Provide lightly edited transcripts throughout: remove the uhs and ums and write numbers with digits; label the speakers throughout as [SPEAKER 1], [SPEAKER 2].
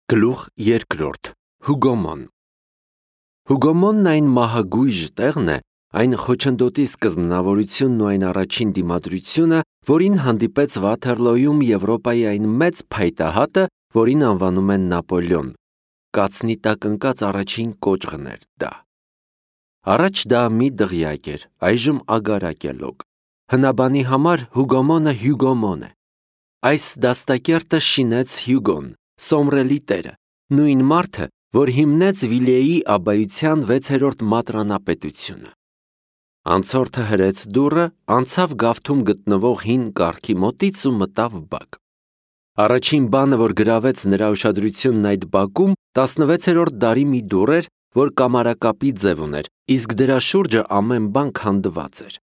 [SPEAKER 1] Գլուխ երկրորդ Հուգոմոն Հուգոմոնն այն մահագույժ տեղն է, այն խոչընդոտի սկզբնավորությունն ու այն առաջին դիմադրությունը, որին հանդիպեց Վաթերլոյում Եվրոպայի այն մեծ փայտահատը, որին անվանում են Նապոլեոն, կացնի տակ ընկած առաջին կոճղն էր դա։ Առաջ դա մի դղյակ էր, այժմ ագարակ է լոկ։ Հնաբանի համար Հուգոմոնը Հյուգոմոն է։ Այս դաստակերտը շինեց Հյուգոն, Սոմրելի տերը, նույն մարդը, որ հիմնեց Վիլեի աբայության 6-րդ մատրանապետությունը։ Անցորդը հրեց դուռը, անցավ գավթում գտնվող հին կառքի մոտից ու մտավ բակ։ Առաջին բանը, որ գրավեց նրա ուշադրությունն այդ բակում, 16-րդ դարի մի դուռ էր, որ կամարակապի ձև ուներ, իսկ դրա շուրջը ամեն բան քանդված էր։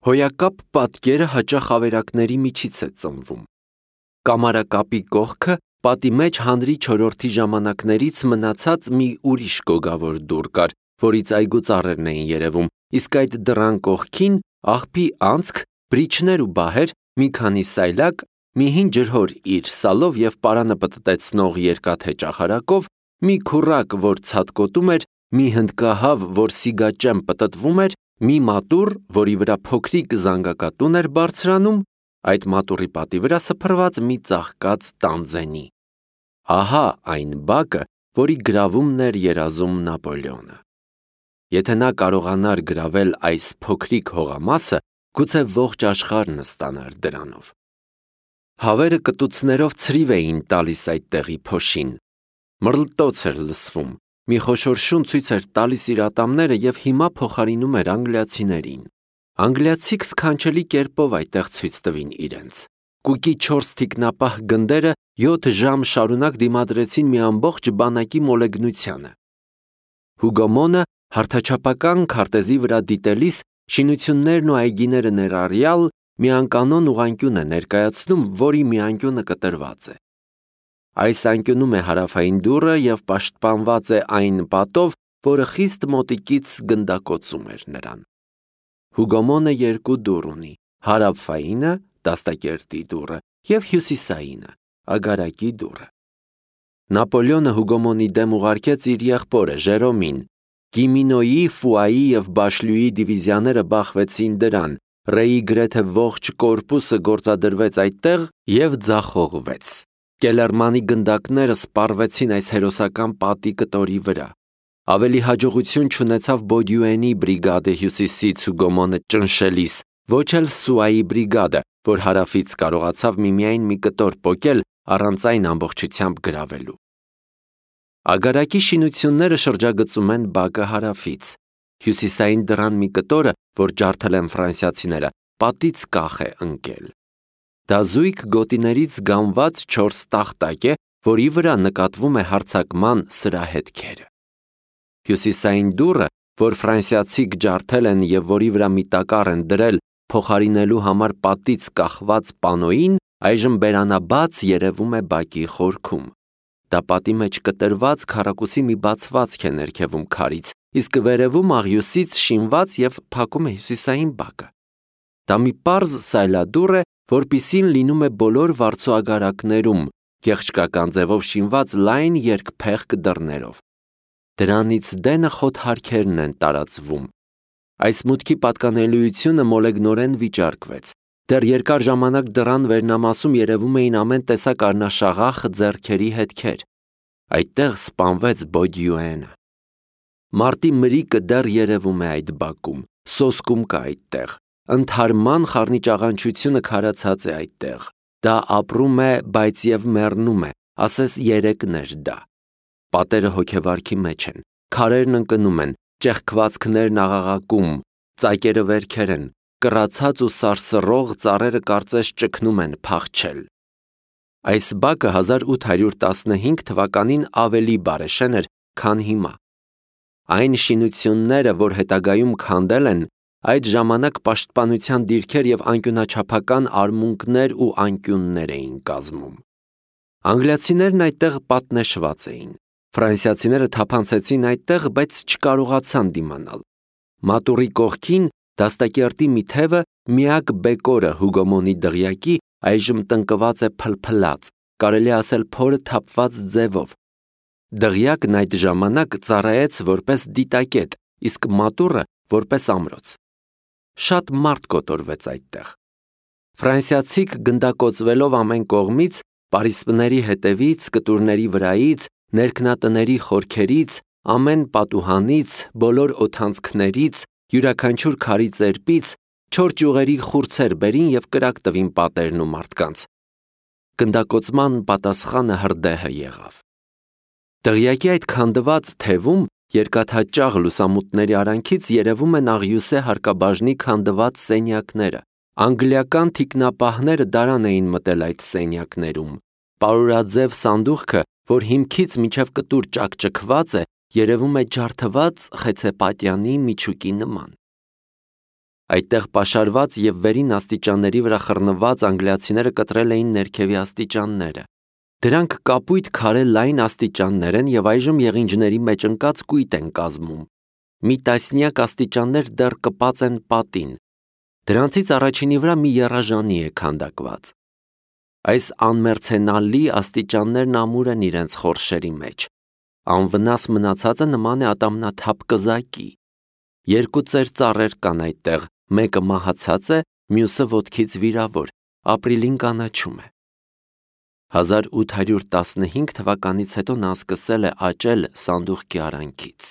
[SPEAKER 1] Հոյակապ պատկերը հաճախ ավերակների միջից է ծնվում։ Կամարակապի կողքը պատի մեջ հանրի չորրորդի ժամանակներից մնացած մի ուրիշ գոգավոր դուռ կար, որից այգու ծառերն էին երևում, իսկ այդ դռան կողքին աղբի անցք, բրիչներ ու բահեր, մի քանի սայլակ, մի հին ջրհոր իր սալով և պարանը պտտեցնող երկաթե ճախարակով, մի քուռակ, որ ցատկոտում էր, մի հնդկահավ, որ սիգաճեմ պտտվում էր, մի մատուռ, որի վրա փոքրիկ զանգակատուն էր բարձրանում, այդ մատուռի պատի վրա սփռված մի ծաղկած տանձենի։ Ահա այն բակը, որի գրավումն էր երազում Նապոլեոնը։ Եթե նա կարողանար գրավել այս փոքրիկ հողամասը, գուցե ողջ աշխարհն ստանար դրանով։ Հավերը կտուցներով ցրիվ էին տալիս այդ տեղի փոշին։ Մռլտոց էր լսվում, մի խոշոր շուն ցույց էր տալիս իր ատամները և հիմա փոխարինում էր անգլիացիներին։ Անգլիացիք սքանչելի կերպով այդտեղ ցույց տվին իրենց։ Կուկի 4 թիկնապահ գնդերը 7 ժամ շարունակ դիմադրեցին մի ամբողջ բանակի մոլեգնությանը։ Հուգոմոնը հարթաչափական քարտեզի վրա դիտելիս շինություններն ու այգիները ներառյալ մի անկանոն ուղղանկյուն է ներկայացնում, որի մի անկյունը կտրված է։ Այս անկյունում է հարավային դուռը և պաշտպանված է այն պատով, որը խիստ մոտիկից գնդակոծում էր նրան։ Հուգոմոնը երկու դուռ ունի՝ հարավայինը, դաստակերտի դուռը, և հյուսիսայինը, ագարակի դուռը։ Նապոլեոնը Հուգոմոնի դեմ ուղարկեց իր եղբորը Ժերոմին։ Գիմինոյի, Ֆուայի և Բաշլյուի դիվիզիաները բախվեցին դրան, Ռեի գրեթե ողջ կորպուսը գործադրվեց այդտեղ և ձախողվեց։ Կելերմանի գնդակները սպառվեցին այս հերոսական պատի կտորի վրա։ Ավելի հաջողություն չունեցավ Բոդյուենի բրիգադը հյուսիսից Հուգոմոնը ճնշելիս, ոչ էլ Սուայի բրիգադը, որ հարավից կարողացավ միմիայն մի կտոր պոկել առանց այն ամբողջությամբ գրավելու։ Ագարակի շինությունները շրջագծում են բակը հարավից։ Հյուսիսային դռան մի կտորը, որ ջարդել են ֆրանսիացիները, պատից կախ է ընկել։ Դա զույգ գոտիներից գանված 4 տախտակ է, որի վրա նկատվում է հարձակման սրահետքերը։ Հյուսիսային դուռը, որ ֆրանսիացիք ջարդել են և որի վրա մի տակառ են դրել փոխարինելու համար պատից կախված պանոյին, այժմ բերանաբաց երևում է բակի խորքում։ Դա պատի մեջ կտրված քառակուսի մի բացվածք է ներքևում քարից, իսկ վերևում աղյուսից շինված և փակում է հյուսիսային բակը։ Դա մի պարզ սայլադուռ է, որպիսին լինում է բոլոր վարձուագարակներում, գեղչկական ձևով շինված լայն երկփեղկ դռներով։ Դրանից դենը խոթհարքերն են տարածվում։ Այս մուտքի պատկանելիությունը մոլեգնորեն վիճարկվեց։ Դեռ երկար ժամանակ դռան վերնամասում երևում էին ամեն տեսակ առնաշաղախ ձեռքերի հետքեր։ Այդտեղ սպանվեց Բոդյուենը։ Մարտի մրիկը դեռ երևում է այդ բակում, սոսկում կա այդտեղ, ընդհարման խառնիճաղանչությունը քարացած է այդտեղ։ Դա ապրում է, բայց և մեռնում է, ասես երեկներ դա։ Պատերը հոգեվարքի մեջ են, քարերն ընկնում են, ճեղքվածքներն աղաղակում, ծակերը վերքեր են, կռացած ու սարսռող ծառերը կարծես ճգնում են փախչել։ Այս բակը 1815 թվականին ավելի բարեշեն էր, քան հիմա։ Այն շինությունները, որ հետագայում քանդել են, այդ ժամանակ պաշտպանության դիրքեր և անկյունաչափական արմունկներ ու անկյուններ էին կազմում։ Անգլիացիներն այդտեղ պատնեշված էին։ Ֆրանսիացիները թափանցեցին այդտեղ, բայց չկարողացան դիմանալ։ Մատուռի կողքին դաստակերտի մի թևը, միակ բեկորը Հուգոմոնի դղյակի, այժմ տնկված է փլփլած, կարելի ասել փորը թափված ձևով, Դղյակն այդ ժամանակ ծառայեց որպես դիտակետ, իսկ մատուռը որպես ամրոց։ Շատ մարդ կոտորվեց այդտեղ։ Ֆրանսիացիք գնդակոծվելով ամեն կողմից, պարիսպների հետևից, կտուրների վրայից, ներքնատների խորքերից, ամեն պատուհանից, բոլոր օդանցքներից, յուրաքանչյուր քարի ծերպից, չոր ճյուղերի խուրձեր բերին և կրակ տվին պատերն ու մարդկանց։ Գնդակոծման պատասխանը հրդեհը եղավ։ Դղյակի այդ քանդված թևում երկաթաճաղ լուսամուտների արանքից երևում են աղյուսե հարկաբաժնի քանդված սենյակները։ Անգլիական թիկնապահները դարան էին մտել այդ սենյակներում։ Պարուրաձև սանդուղքը, որ հիմքից մինչև կտուր ճաքճքված է, երևում է ջարդված խեցեպատյանի միջուկի նման։ Այդտեղ պաշարված և վերին աստիճանների վրա խռնված անգլիացիները կտրել էին ներքևի աստիճանները։ Դրանք կապույտ քարե լայն աստիճաններ են և այժմ եղինջների մեջ ընկած կույտ են կազմում։ Մի տասնյակ աստիճաններ դեռ կպած են պատին։ Դրանցից առաջինի վրա մի եռաժանի է քանդակված։ Այս անմերձենալի աստիճաններն ամուր են իրենց խորշերի մեջ։ Անվնաս մնացածը նման է ատամնաթափ կզակի։ Երկու ծեր ծառեր կան այդտեղ, մեկը մահացած է, մյուսը ոտքից վիրավոր, ապրիլին կանաչում է։ 1815 թվականից հետո նա սկսել է աճել սանդուղքի արանքից։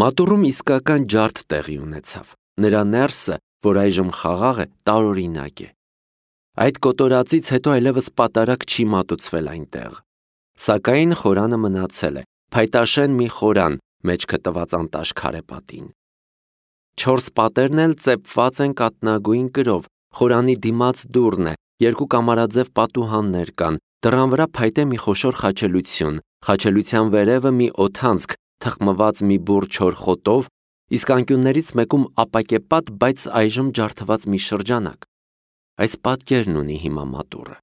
[SPEAKER 1] Մատուռում իսկական ջարդ տեղի ունեցավ։ Նրա ներսը, որ այժմ խաղաղ է, տարօրինակ է։ Այդ կոտորածից հետո այլևս պատարագ չի մատուցվել այնտեղ։ Սակայն խորանը մնացել է, փայտաշեն մի խորան, մեջքը տված անտաշ քարեպատին։ 4 պատերն էլ ծեփված են կատնագույն կրով, խորանի դիմաց դուռն է, 2 կամարաձև պատուհաններ կան, դռան վրա փայտե մի խոշոր խաչելություն, խաչելության վերևը մի օդանցք, թխմված մի բուռ չոր խոտով, իսկ անկյուններից մեկում ապակեպատ, բայց այժմ ջարդված մի շրջանակ։ Այս պատկերն ունի հիմա մատուռը։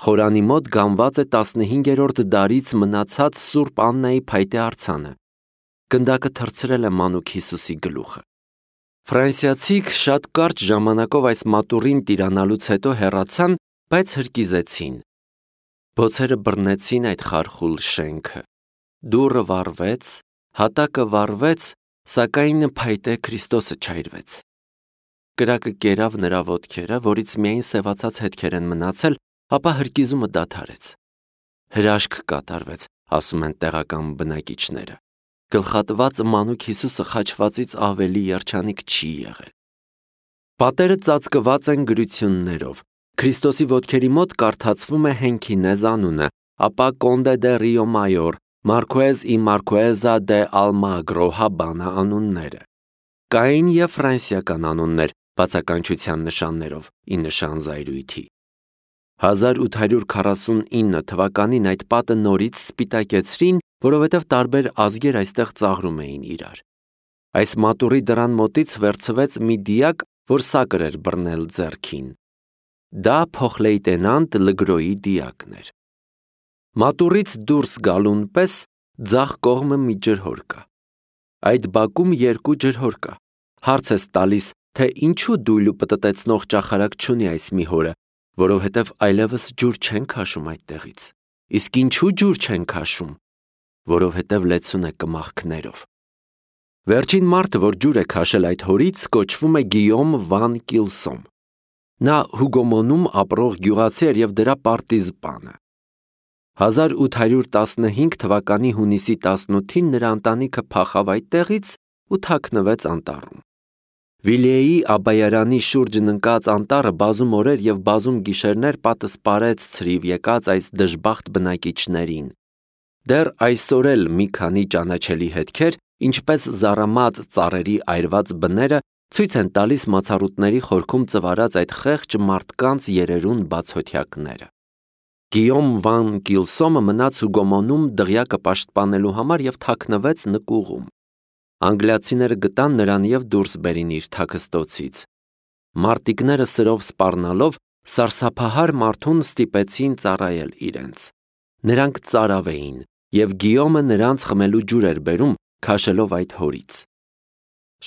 [SPEAKER 1] Խորանի մոտ գանված է 15-րդ դարից մնացած Սուրբ Աննայի փայտե արձանը։ Գնդակը թռցրել է մանուկ Հիսուսի գլուխը։ Ֆրանսիացիք շատ կարճ ժամանակով այս մատուռին տիրանալուց հետո հեռացան, բայց հրկիզեցին։ Բոցերը բռնեցին այդ խարխուլ շենքը։ Դուռը վառվեց, հատակը վառվեց, սակայն փայտե Քրիստոսը չայրվեց։ Կրակը կերավ նրա ոտքերը, որից միայն սևացած հետքեր են մնացել, ապա հրկիզումը դադարեց։ Հրաշք կատարվեց, ասում են տեղական բնակիչները։ Գլխատված մանուկ Հիսուսը խաչվածից ավելի երջանիկ չի եղել։ Պատերը ծածկված են գրություններով։ Քրիստոսի ոտքերի մոտ կարդացվում է Հենքինեզ անունը, ապա Կոնդե դե Ռիո Մայոր, Մարկուեզ ի Մարկուեզա դե Ալմագրո Հավանա անունները։ Կային և ֆրանսիական անուններ, բացականչության նշաններով, ի նշան զայրույթի։ 1849 թվականին այդ պատը նորից սպիտակեցրին, որովհետև տարբեր ազգեր այստեղ ծաղրում էին իրար։ Այս մատուռի դռան մոտից վերցվեց մի դիակ, որ սակր էր բռնել ձեռքին։ Դա փոխլեյտենանտ Լգրոյի դիակն էր։ Մատուռից դուրս գալուն պես ձախ կողմը մի ջրհոր կա։ Այդ բակում 2 ջրհոր կա։ Հարց ես տալիս, թե ինչու դույլ ու պտտեցնող ճախարակ չունի այս մի հորը, որովհետև այլևս ջուր չեն քաշում այդտեղից։ Իսկ ինչու ջուր չեն քաշում։ Որովհետև լեցուն է կմախքներով։ Վերջին մարդը, որ ջուր է քաշել այդ հորից, կոչվում է Գիյոմ վան Կիլսոմ։ Նա Հուգոմոնում ապրող գյուղացի էր և դրա պարտիզպանը։ 1815 թվականի հունիսի 18-ին նրա ընտանիքը փախավ այդտեղից ու թաքնվեց անտառում։ Վիլիեի Աբայարանի շուրջն ընկած անտառը բազում օրեր և բազում գիշերներ պատը սպարեց ցրիվ եկած այս դժբախտ բնակիչներին։ Դեռ այսօր էլ մի քանի ճանաչելի հետքեր, ինչպես զառամած ծառերի այրված բները, ցույց են տալիս մացառուտների խորքում ծվարած այդ խեղճ մարդկանց երերուն բացօթյակները։ Գիյոմ վան Կիլսոմը մնաց Հուգոմոնում դղյակը պաշտպանելու համար և թաքնվեց նկուղում։ Անգլիացիները գտան նրան և դուրս բերին իր թաքստոցից։ Մարտիկները սրով սպառնալով սարսափահար մարդուն ստիպեցին ծառայել իրենց։ Նրանք ծարավ էին, և Գիյոմը նրանց խմելու ջուր էր բերում, քաշելով այդ հորից։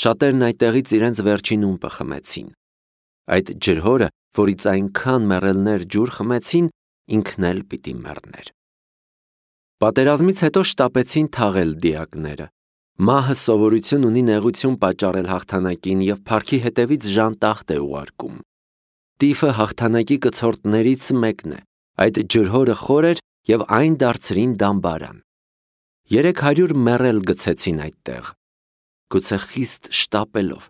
[SPEAKER 1] Շատերն այդտեղից իրենց վերջին ումպը խմեցին։ Այդ ջրհորը, որից այնքան մեռելներ ջուր խմեցին, ինքն էլ պիտի մեռներ։ Պատերազմից հետո շտապեցին թաղել դիակները։ Մահը սովորություն ունի նեղություն պատճառել հաղթանակին և փառքի հետևից ժանտախտ է ուղարկում։ Տիֆը հաղթանակի կցորդներից մեկն է, այդ ջրհորը խոր էր և այն դարձրին դամբարան։ 300 մեռել գցեցին այդտեղ, գուցե խիստ շտապելով։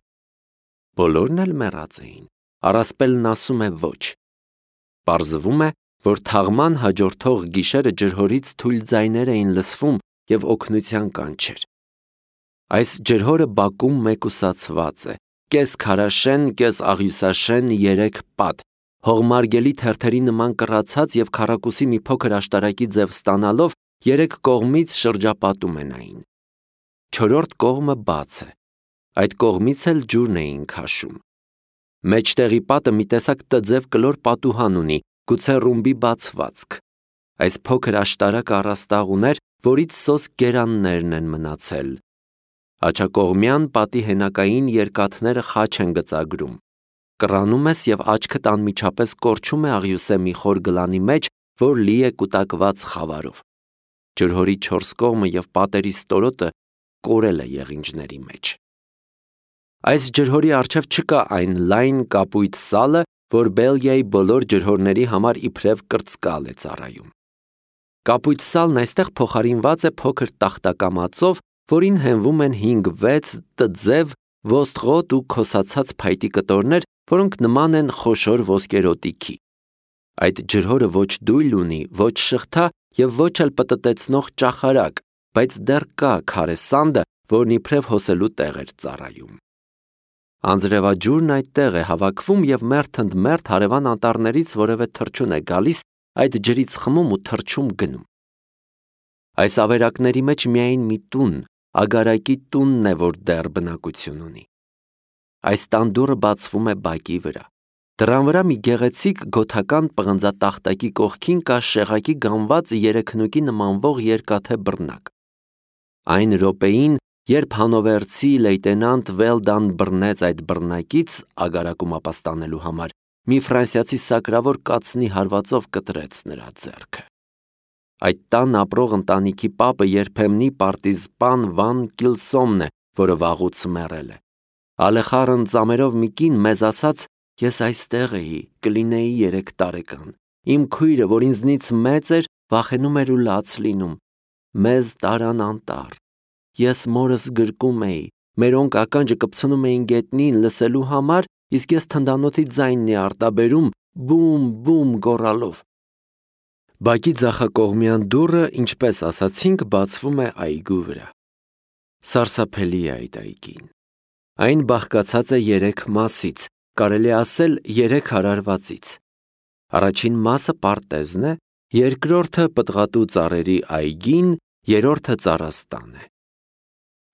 [SPEAKER 1] Բոլորն էլ մեռած էին, առասպելն ասում է ոչ։ Պարզվում է, որ թաղման հաջորդող գիշերը ջրհորից թույլ ձայներ էին լսվում և օգնության կանչեր։ Այս ջրհորը բակում մեկուսացված է, կես քարաշեն, կես աղյուսաշեն 3 պատ, հողմարգելի թերթերի նման կռացած և քառակուսի մի փոքր աշտարակի ձև ստանալով 3 կողմից շրջապատում են այն։ 4-րդ կողմը բաց է, այդ կողմից էլ ջուրն էին քաշում։ Մեջտեղի պատը մի տեսակ տձև կլոր պատուհան ունի, գուցե ռումբի բացվածք։ Այս փոքր աշտարակը առաստաղ ուներ, որից սոսկ գերաններն են մնացել։ Աջակողմյան պատի հենակային երկաթները խաչ են գծագրում։ Կռանում ես և աչքդ անմիջապես կորչում է աղյուսե մի խոր գլանի մեջ, որ լի է կուտակված խավարով։ Ջրհորի 4 կողմը և պատերի ստորոտը կորել է եղինջների մեջ։ Այս ջրհորի առջև չկա այն լայն կապույտ սալը, որ Բելգիայի բոլոր ջրհորների համար իբրև կրծկալ է ծառայում։ Կապույտ սալն այստեղ փոխարինված է փոքր տախտակամածով, որին հենվում են 5-6 տձև, ոստղոտ ու քոսացած փայտի կտորներ, որոնք նման են խոշոր ոսկերոտիքի։ Այդ ջրհորը ոչ դույլ ունի, ոչ շղթա և ոչ էլ պտտեցնող ճախարակ, բայց դեռ կա քարե սանդը, որն իբրև հոսելու տեղ էր ծառայում։ Անձրևաջուրն այդտեղ է հավաքվում և մերթ ընդ մերթ հարևան անտառներից որևէ թռչուն է գալիս, այդ ջրից խմում ու թռչում գնում։ Այս ավերակների մեջ միայն մի տուն, ագարակի տունն է, որ դեռ բնակություն ունի։ Այս տան դուռը բացվում է բակի վրա։ Դռան վրա մի գեղեցիկ գոթական պղնձատախտակի կողքին կա շեղակի գամված երեքնուկի նմանվող երկաթե բռնակ։ Այն րոպեին, երբ հանովերցի լեյտենանտ Վելդան բռնեց այդ բռնակից ագարակում ապաստանելու համար, մի ֆրանսիացի սակրավոր կացնի հարվածով կտրեց նրա ձեռքը։ Այդ տան ապրող ընտանիքի պապը երբեմնի պարտիզպան Վան Կիլսոմն է, որը վաղուց մեռել է։ Ալեխառն ծամերով մի կին մեզ ասաց. «Ես այստեղ էի, կլինեի 3 տարեկան։ Իմ քույրը, որ ինձնից մեծ էր, վախենում էր ու լաց լինում։ Մեզ տարան անտառ։ Ես մորս գրկում էի, մերոնք ականջը կպցնում էին գետնին լսելու համար, իսկ ես թնդանոթի ձայնն էի արտաբերում բում, բում գոռալով»։ Բակի ձախակողմյան դուռը, ինչպես ասացինք, բացվում է այգու վրա։ Սարսափելի է այդ այգին։ Այն բաղկացած է 3 մասից, կարելի ասել 3 հարարվածից։ Առաջին մասը պարտեզն է, երկրորդը պտղատու ծառերի այգին, երրորդը ծառաստան է։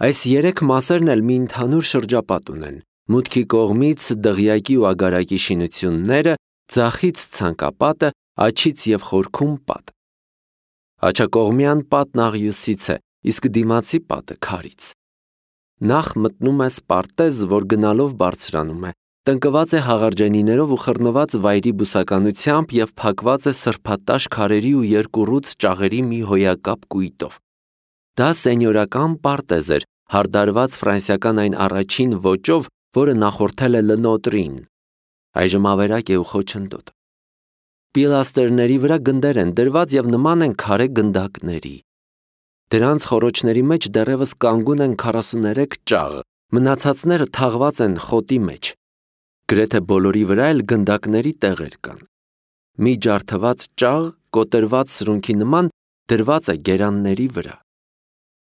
[SPEAKER 1] Այս 3 մասերն էլ մի ընդհանուր շրջապատ ունեն։ Մուտքի կողմից դղյակի ու ագարակի շինությունները, ձախից ցանկապատը, աջից և խորքում պատ։ Աջակողմյան պատն աղյուսից է, իսկ դիմացի պատը քարից։ Նախ մտնում ես պարտեզ, որ գնալով բարձրանում է, տնկված է հաղարջենիներով ու խռնված վայրի բուսականությամբ և փակված է սրբատաշ քարերի ու երկուռուց ճաղերի մի հոյակապ կույտով։ Դա սենյորական պարտեզ էր, հարդարված ֆրանսիական այն առաջին ոճով, որը նախորդել է Լնոտրին։ Այժմ ավերակ է ու խոչընդոտ։ Պիլաստերների վրա գնդեր են դրված և նման են քարե գնդակների։ Դրանց խոռոչների մեջ դեռևս կանգուն են 43 ճաղ, մնացածները թաղված են խոտի մեջ։ Գրեթե բոլորի վրա էլ գնդակների տեղեր կան։ Մի ջարդված ճաղ, կոտրված սրունքի նման, դրված է գերանների վրա։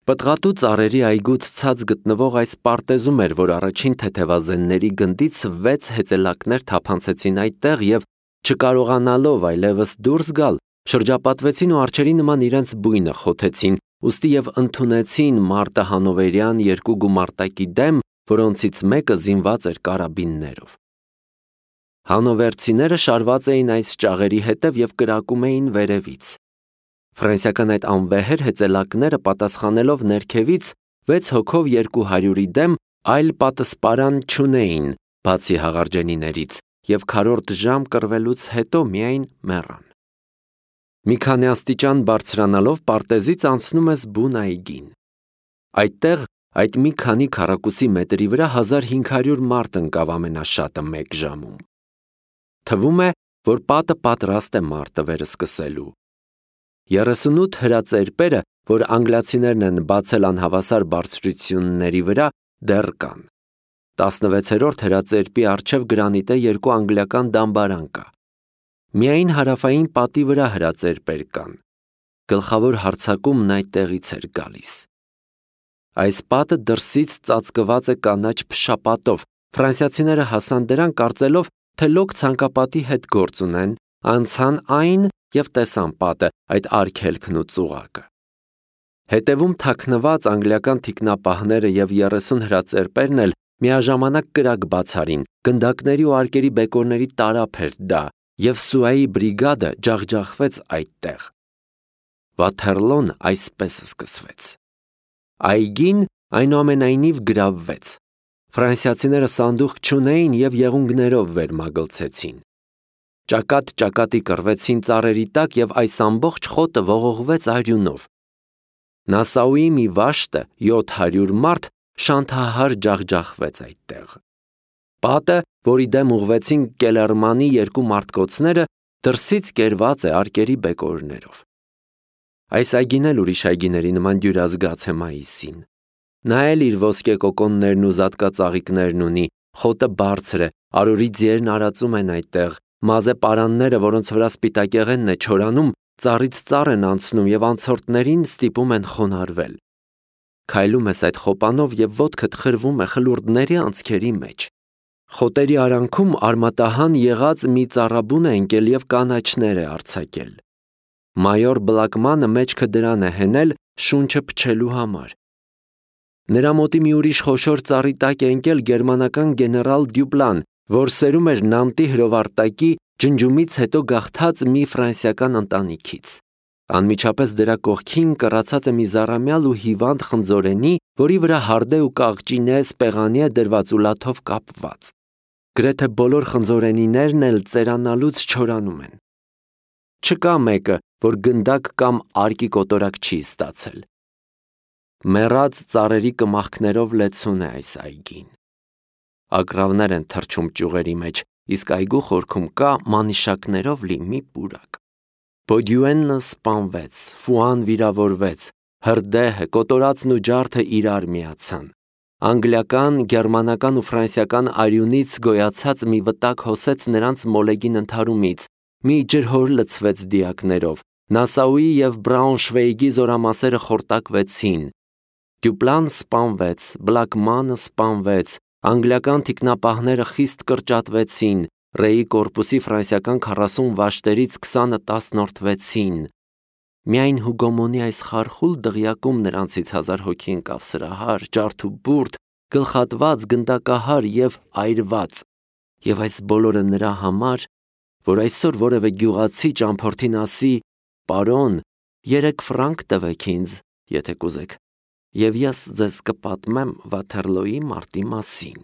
[SPEAKER 1] Պտղատու ծառերի այգուց ցած գտնվող այս պարտեզում էր, որ առաջին թեթևազենների գնդից 6 հեծելակներ թափանցեցին այդտեղ և, չկարողանալով այլևս դուրս գալ, շրջապատվեցին ու արջերի նման իրենց բույնը խոթեցին, ուստի և ընդունեցին մարտահանովերյան 2 գումարտակի դեմ, որոնցից մեկը զինված էր կարաբիններով։ Հանովերցիները շարված էին այս ճաղերի հետև և կրակում էին վերևից։ Ֆրանսիական այդ անվեհեր հեծելակները պատասխանելով ներքևից 6 հոգով 200-ի դեմ այլ պատսպարան չունեին, բացի հաղարջենիներից, և քառորդ ժամ կռվելուց հետո միայն մեռան։ Մի քանի աստիճան բարձրանալով պարտեզից անցնում ես բուն այգին։ Այդտեղ այդ մի քանի քառակուսի մետրի վրա 1500 մարդ ընկավ ամենաշատը 1 ժամում։ Թվում է, որ պատը պատրաստ է մարտը վերսկսելու։ 38 հրածերպերը, որ անգլիացիներն են բացել անհավասար բարձրությունների վրա, դեռ կան։ 16-րդ հրածերպի առջև գրանիտե 2 անգլիական դամբարան կա։ Միայն հարավային պատի վրա հրածերպեր կան։ Գլխավոր հարձակումն այդտեղից էր գալիս։ Այս պատը դրսից ծածկված է կանաչ փշապատով։ Ֆրանսիացիները հասան դրան կարծելով, թե լոկ ցանկապատի հետ գործ ունեն, անցան այն և տեսան պատը, այդ արգելքն ու ծուղակը։ Հետևում թաքնված անգլիական թիկնապահները և 30 հրածերպերն էլ միաժամանակ կրակ բացարին, գնդակների ու արկերի բեկորների տարափ էր դա, և Սուայի բրիգադը ջախջախվեց այդտեղ։ Վաթերլոն այսպես սկսվեց։ Այգին այնուամենայնիվ գրավվեց։ Ֆրանսիացիները սանդուղք չունեին և եղունգներով վերմագլցեցին։ Ճակատ-ճակատի կռվեցին ծառերի տակ և այս ամբողջ խոտը ողողվեց արյունով։ Նասաուի մի վաշտը 700 մարդ շանթահար ջախջախվեց այդտեղ։ Պատը, որի դեմ ուղղվեցին Կելերմանի 2 մարտկոցները, դրսից կերված է արկերի բեկորներով։ Այս այգին էլ ուրիշ այգիների նման դյուրազգաց է մայիսին։ Նա էլ իր ոսկե կոկոններն ու զատկածաղիկներն ունի, խոտը բարձր է, արորի ձիերն արածում են այդտեղ, մազե պարանները, որոնց վրա սպիտակեղենն է չորանում, ծառից ծառ են անցնում և անցորդներին ստիպում են խոնարհվել։ Քայլում ես այդ խոպանով և ոտքդ խրվում է խլուրդների անցքերի մեջ։ Խոտերի արանքում արմատահան եղած մի ծառաբուն է ընկել և կանաչներ է արձակել։ Մայոր Բլակմանը մեջքը դրան է հենել շունչը փչելու համար։ Նրա մոտի մի ուրիշ խոշոր ծառի տակ է ընկել գերմանական գեներալ Դյուպլան, որ սերում էր Նանտի հրովարտակի ջնջումից հետո գաղթած մի ֆրանսիական ընտանիքից։ Անմիջապես դրա կողքին կռացած է մի զառամյալ ու հիվանդ խնձորենի, որի վրա հարդե ու կաղճինե սպեղանի է դրված ու լաթով կապված։ Գրեթե բոլոր խնձորենիներն էլ ծերանալուց չորանում են։ Չկա մեկը, որ գնդակ կամ արկի կոտորակ չի ստացել։ Մեռած ծառերի կմախքներով լեցուն է այս այգին։ Ագռավներ են թռչում ճյուղերի մեջ, իսկ այգու խորքում կա մանիշակներով լի մի պուրակ։ Բոդյուենը սպանվեց, Ֆուան վիրավորվեց, հրդեհը, կոտորածն ու ջարդը իրար միացան։ Անգլիական, գերմանական ու ֆրանսիական արյունից գոյացած մի վտակ հոսեց նրանց մոլեգին ընդհարումից, մի ջրհոր լցվեց դիակներով, Նասաուի և Բրաունշվեյգի զորամասերը խորտակվեցին։ Դյուպլան սպանվեց, Բլակմանը սպանվեց, անգլիական թիկնապահները խիստ կրճատվեցին, Ռեի կորպուսի ֆրանսիական 40 վաշտերից 20-ը տասնորդվեցին։ Միայն Հուգոմոնի այս խարխուլ դղյակում նրանցից 1000 հոգի ընկավ սրահար, ջարդուբուրդ, գլխատված, գնդակահար և այրված։ Եվ այս բոլորը նրա համար, որ այսօր որևէ գյուղացի ճամփորդին ասի. «Պարոն, 3 ֆրանկ տվեք ինձ, եթե կուզեք, և ես ձեզ կպատմեմ Վաթերլոյի մարտի մասին»։